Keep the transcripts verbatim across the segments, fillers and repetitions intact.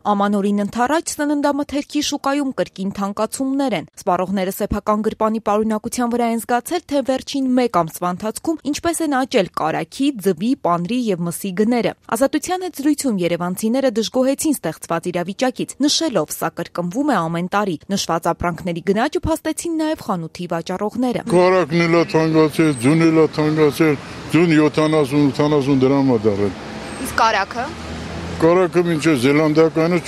Ամանորին ընթառաջ սննդամթերքի շուկայում կրկին թանկացումներ են։ Սպառողները սեփական գրպանի պարունակության վրա են զգացել, թե վերջին մեկ ամսվա ընթացքում ինչպես են աճել կարագի, ձվի, պանրի եւ մսի գները։ Ազատության հետ զրույցում երևանցիները դժգոհեցին ստեղծված իրավիճակից, նշելով, սա կրկնվում է ամեն տարի։ Նշված ապրանքների գնաճը փաստեցին նաեւ խանութի վաճառողները։ Կարագն էլ է թանկացել, ձուն էլ է թանկացել, ձուն յոթանասուն ութանասուն դրամ է դառել։ Իսկ կարագը։ Կարագը մինչև զելանդականը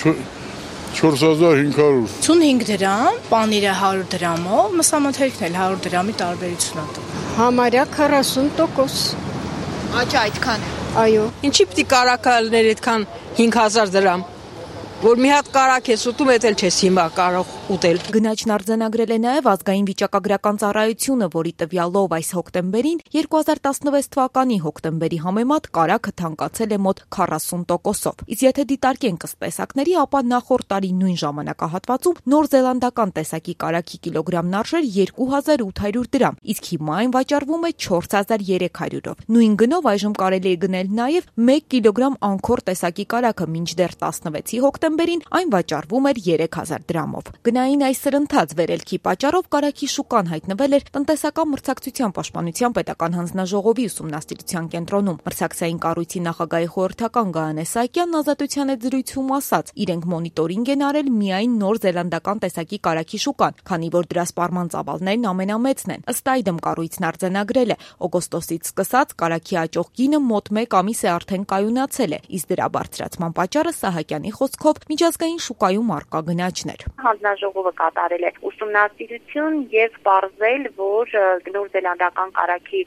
չորս հազար հինգ հարյուր։ ութանհինգ դրամ, պանիրը հարյուր դրամով, մսամթերքն էլ հարյուր դրամի տարբերություն է։ Համարյա քառասուն տոկոս։ Աճ այդքան։ Այո։ Ինչի՞ պիտի կարագը լիներ այդքան հինգ հազար դրամ։ Որ մի հատ կարագ ես ուտում, էդ էլ չես հիմա կարող ուտել։ Գնաճն արձանագրել է նաև ազգային վիճակագրական ծառայությունը, որի տվյալով այս հոկտեմբերին երկու հազար տասնվեց թվականի հոկտեմբերի համեմատ կարագը թանկացել է մոտ քառասուն տոկոսով։ Իսկ եթե դիտարկենք ըստ տեսակների, ապա նախորդ տարի նույն ժամանակահատվածում նոր զելանդական տեսակի կարագի կիլոգրամն արժեր երկու հազար ութ հարյուր դրամ, իսկ հիմա այն վաճառվում է չորս հազար երեք հարյուրով։ Նույն գնով այժմ կարելի է գնել նաև մեկ կիլոգրամ անկոր տեսակի կարագը, մինչդեռ տասնվեցի հոկտեմբերին այն վաճառվում էր երեք հազար դրամով։ Գնային այս սրընթաց վերելքի պատճառով կարագի շուկան հայտնվել էր տնտեսական մրցակցության պաշտպանության պետական հանձնաժողովի ուսումնասիրության կենտրոնում։ Մրցակցային կառույցի նախագահի խորհրդական Գայանե Սահակյանն Ազատության հետ զրույցում ասաց, իրենք մոնիտորինգ են արել միայն նոր զելանդական տեսակի կարագի շուկան, քանի որ դրա սպառման ծավալներն ամենամեծն են։ Ըստ այդմ կառույցն արձանագրել է, օգոստոսից սկսած կարագի աճող գինը մոտ մեկ ամիս է արդեն կայունացել է, իսկ դրա բարձրացման պատճառը Սահակյանի խոսքով միջազգային շուկայում առկա գնաճն էր։ Հանձնաժողովը կատարել է ուսումնասիրություն եւ պարզել, որ նոր զելանդական կարագի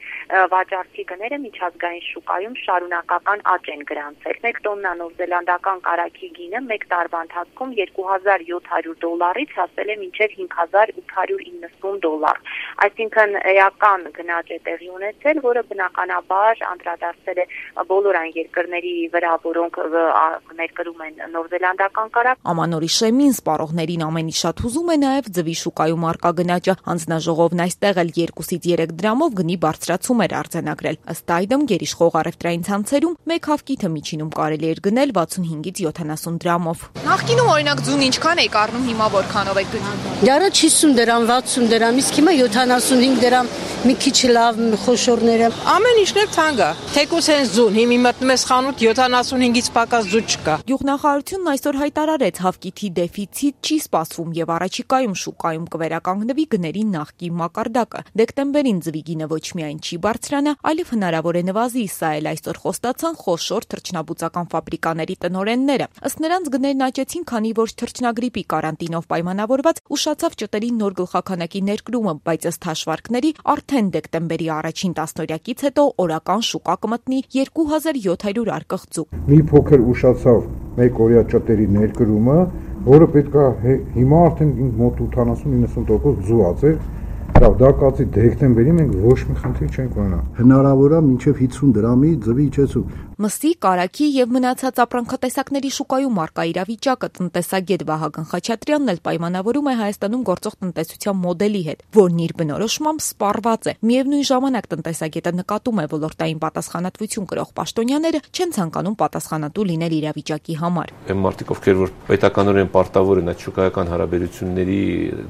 վաճառքի գները միջազգային շուկայում շարունակական աճ են գրանցել։ մեկ տոննա նոր զելանդական կարագի գինը մեկ տարվա ընթացքում երկու հազար յոթ հարյուր դոլարից հասել է մինչև հինգ հազար ութ հարյուր իննսուն դոլար։ Այսինքն էական գնաճ է տեղի ունեցել, որը բնականաբար անդրադարձել է բոլոր այն երկրների վրա, որոնք ներկրում են նոր զելանդական կարագ։ Ամանորի շեմին սպառողներին ամենից շատ հուզում է նաև ձվի շուկայում առկա գնաճը։ Հանձնաժողովն այստեղ էլ երկուսից երեք դրամով գնի բարձրացում էր արձանագրել։ Ըստ այդմ գերիշխող առևտրային ցանցերում մեկ հավկիթը միջինում կարելի էր գնել վաթսունհինգից յոթանասուն դրամով։ Նախկինում օրինակ ձուն ինչքան էի կառնում, հիմա որքանով եք գնում։ Դարը հիսուն դրամ, վաթսուն դրամ, իսկ հիմա յոթանասունհինգ դրամ, մի քիչ լավ խոշորները։ Ամեն ինչն էլ թանկ է։ Թեկուզ հենց ձուն, հիմա մտնում ես խանութ յոթանասունհինգից պակաս ձուն չկա։ Գյուղնախարարությունն այսօր հայտարարեց, հավկիթի դեֆիցիտ չի սպասվում եւ առաջիկայում շուկայում կվերականգնվի գների նախկին մակարդակը։ Դեկտեմբերին ձվի գինը ոչ միայն չի բարձրանա, այլև հնարավոր է նվազի, սա էլ այսօր խոստացան խոշոր թռչնաբուծական ֆաբրիկաների տնօրենները։ Ըստ նրանց գներն աճեցին, քանի որ թռչնագրիպի կարանտինով պայմանավորված ուշացավ ճտերի նոր գլխաքանակի ներկրումը, բայց ըստ հաշվարկների արդեն դեկտեմբերի առաջին տասնօրյակից հետո օրական շուկա կմտնի երկու հազար յոթ հարյուր արկղ ձու։ Մի փոքր ուշացավ մեկ օրյա ճտերի ներկրումը, որը պետք է հիմա արդեն մոտ ութանասուն իննսուն տոկոս ձու ածել։ Դա կացի դեկտեմբերի մենք ոչ մի խնդիր չենք ունենա։ Հնարավոր է մինչև հիսուն դրամի ձվի իջեցում։ Մսի, կարագի եւ մնացած ապրանքատեսակների շուկայում առկա իրավիճակը տնտեսագետ Վահագն Խաչատրյանն էլ պայմանավորում է Հայաստանում գործող տնտեսության մոդելի հետ, որն իր բնորոշմամբ սպառված է։ Միևնույն ժամանակ տնտեսագետը նկատում է, ոլորտային պատասխանատվություն կրող պաշտոնյաները չեն ցանկանում պատասխանատու լինել իրավիճակի համար։ Այն մարդիկ, ովքեր որ պետականորեն պարտավոր են այդ շուկայական հարաբերությունների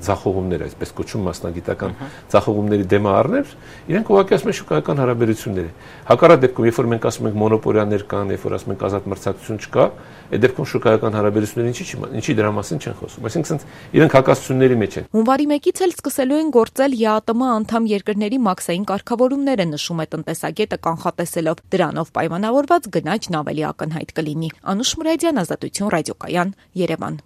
ձախողումները, այսպես կոչում մասնագիտական ձախողումների դեմը առնել, իրենք ուղղակի ասում են շուկայական հարաբերություններ։ Հակառակ դեպքում, երբ որ մենք ասում ենք մոնոպոլիաներ կան, երբ որ ասում ենք ազատ մրցակցություն չկա, այդ դեպքում շուկայական հարաբերությունները ինչի՞ ինչի դրա մասին չեն խոսում։ Այսինքն իրենք հակասությունների մեջ են։ Հունվարի մեկից էլ սկսելու են գործել ԵԱՏՄ անդամ երկրների մաքսային կարգավորումները, նշում է տնտեսագետը կանխատեսելով, դրանով պայմանավորված գնաճն ավելի ակնհայտ կլինի։ Անուշ Մուրադյան, Ազատություն, ռադիոկայան, Երևան։